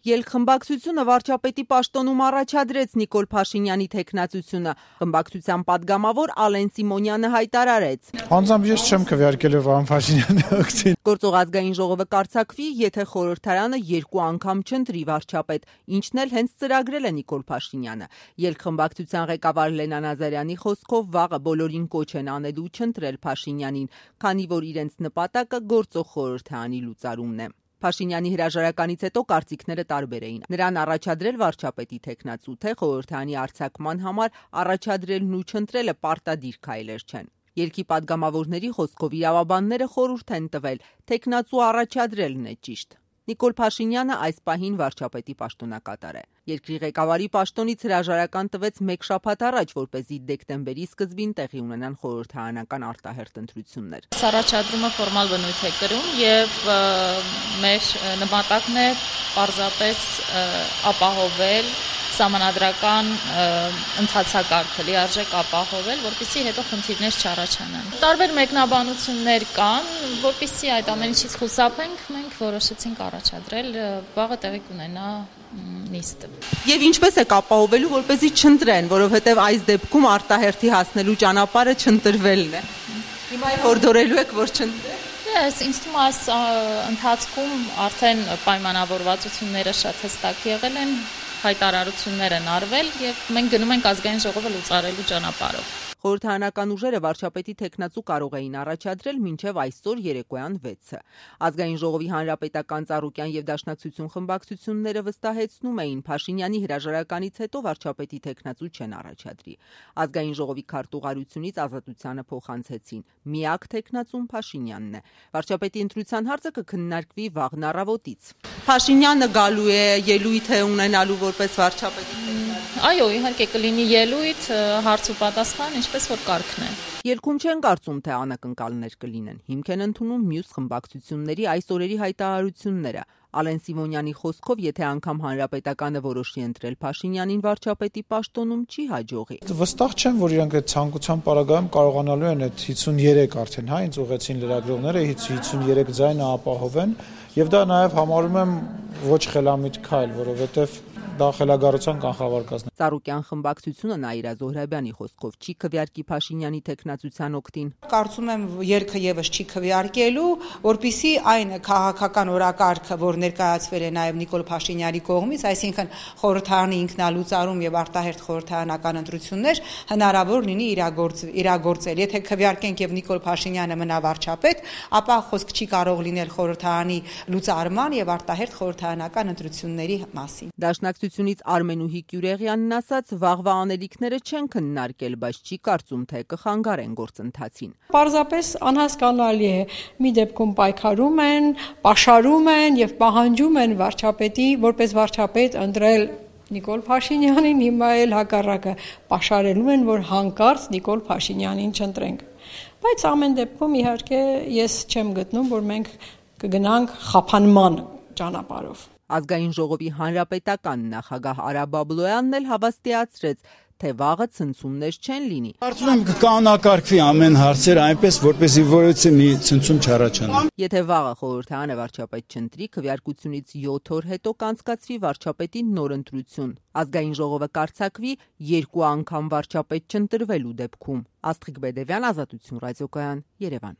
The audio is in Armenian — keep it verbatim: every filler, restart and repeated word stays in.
Ելք-խմբակցությունը վարչապետի պաշտոնում առաջադրեց Նիկոլ Փաշինյանի թեկնածությունը։ Խմբակցության падգամավոր Ալեն Սիմոնյանը հայտարարեց. Անձամբ ես չեմ քվեարկել Վարդան Փաշինյանի ակցին։ Գործող ազգային ժողովը կառցակվի, եթե խորհրդարանը երկու անգամ չընտրի վարչապետ, ինչն էլ հենց ծրագրել է Նիկոլ Փաշինյանը։ Ելք-խմբակցության ղեկավար Լենա Նազարյանի խոսքով վաղը բոլորին կոչ են անելու չընտրել Փաշինյանին, քանի որ իրենց նպատակը գործող խորհրդարանի լուծարումն է։ Փաշինյանի հրաժարականից հետո կարծիքները տարբեր էին։ Նրան առաջադրել վարչապետի թեկնածու, թե խորհրդարանի արձակման համար առաջադրելն ու չընտրելը պարտադիր քայլեր չեն։ Ելքի падգամավորների խոսքով իրավաբանները խորհուրդ են տվել, թեկնածու առաջադրելն է ճիշտ։ Նիկոլ Փաշինյանը այս պահին վարչապետի պաշտոնակատար է։ Երկրի ղեկավարի պաշտոնից հրաժարական տվեց մեկ շաբաթ առաջ, որպեսզի դեկտեմբերի սկզբին տեղի ունենան խորհրդարանական արտահերթ ընտրություններ։ Առաջադրումը ֆորմալ բնույթ է կրում եւ մեր նպատակն է պարզապես ապահովել սահմանադրական ընթացակարգը, լիարժեք ապահովել, որպեսզի հետո խնդիրներ չառաջանան։ Տարբեր մեկնաբանություններ կան, որպեսզի այդ ամեն ինչից խուսափենք, մենք որոշեցինք առաջադրել, վաղը տեղի կունենա նիստը։ Եվ ինչպես եք ապահովելու, որպեսզի չընտրեն, որովհետև այս դեպքում արտահերթի հասնելու ճանապարհը չընտրվելն է։ Հիմա հորդորելու եք, որ չընտրեն։ Ես ինձ թվում է այս ընթացքում արդեն պայմանավորվածությունները շատ հստակ եղել են, հայտարարություններ են արվել եւ մենք գնում ենք ազգային ժողովը լուծարելու ճանապարհով։ Խորհրդարանական ուժերը վարչապետի թեկնածու կարող էին առաջադրել մինչև այսօր երեկոյան վեցը։ Ազգային ժողովի հանրապետական ծառուկյան եւ դաշնակցություն խմբակցությունները վստահեցնում էին Փաշինյանի հրաժարականից հետո վարչապետի թեկնածու չեն առաջադրի։ Ազգային ժողովի քարտուղարությունից Ազատությանը փոխանցեցին. միակ թեկնածուն Փաշինյանն է։ Վարչապետի ընտրության հարցը կքննարկվի վաղն առավոտից։ Փաշինյանը գալու է ելույթ է ունենալու որպես վարչապետի թեկնածու։ Այո, իհարկե կլինի ելույթ, հարց ու պատասխան, ինչպես որ կարգն է։ Ելքում չեն կարծում, թե անակնկալներ կլինեն։ Հիմք են ընդունում մյուս խմբակցությունների այս օրերի հայտարարությունները։ Ալեն Սիմոնյանի խոսքով, եթե անգամ հանրապետականը որոշի ընտրել Փաշինյանին վարչապետի պաշտոնում, չի հաջողի։ Վստահ չեմ, որ իրանք այդ ցանկության պարագայում կարողանալու են այդ հիսունյերեք արդեն, հա, ինձ ուղեցին լրագրողները հիսունյերեք ձայնը ապահովեն, եւ դա նաեւ համարում եմ ոչ խելամիտ քայլ, որովհետեւ դա խելագարության կանխավարկածն է։ Ծառուկյան խմբակցությունը Նաիրա Զոհրաբյանի խոսքով չի քվեարկի Փաշինյանի թեկնածության օգտին։ Կարծում եմ երկը եւս չի քվեարկելու, որpիսի այն քաղաքական օրակարգը, որ ներկայացվել է նաեւ Նիկոլ Փաշինյանի կողմից, այսինքն խորհրդարանի ինքնալուծարում եւ արտահերթ խորհրդարանական ընտրություններ հնարավոր լինի իրագործել։ Եթե քվեարկենք եւ Նիկոլ Փաշինյանը մնա վարչապետ, ապա խոսք չի կարող լինել խորհրդարանի լուծարման եւ արտահերթ խորհրդարանական ընտրությունների մասին։ Դաշնակցությունից Արմենուհի Կյուրեղյանն ասաց, վաղվա անելիքները չեն քննարկել, բայց չի կարծում, թե կխանգարեն գործընթացին։ Պարզապես անհասկանալի է, մի դեպքում պայքարում են, պաշարում են եւ պահանջում են վարչապետի, որպես վարչապետ ընտրել Նիկոլ Փաշինյանին, հիմա էլ հակառակը պաշարելու են, որ հանկարծ Նիկոլ Փաշինյանին չընտրենք։ Բայց ամեն դեպքում իհարկե ես չեմ գտնում, որ մենք կգնանք խափանման ճանապարհով։ Ազգային ժողովի հանրապետական նախագահ Արա Բաբլոյանն էլ հավաստիացրեց, թե վաղը ցնցումներ չեն լինի։ Կարծում եմ կանոնակարգվի ամեն հարցերը այնպես, որպեսզի որևէ մի ցնցում չառաջանա։ Եթե վաղը խորհրդարանը վարչապետ չընտրի, քվեարկությունից յոթ օր հետո կանցկացվի վարչապետի նոր ընտրություն։ Ազգային ժողովը կառցակվի երկու անգամ վարչապետ չընտրվելու դեպքում։ Աստղիկ Բեդևյան, Ազատություն ռադիոկայան, Երևան։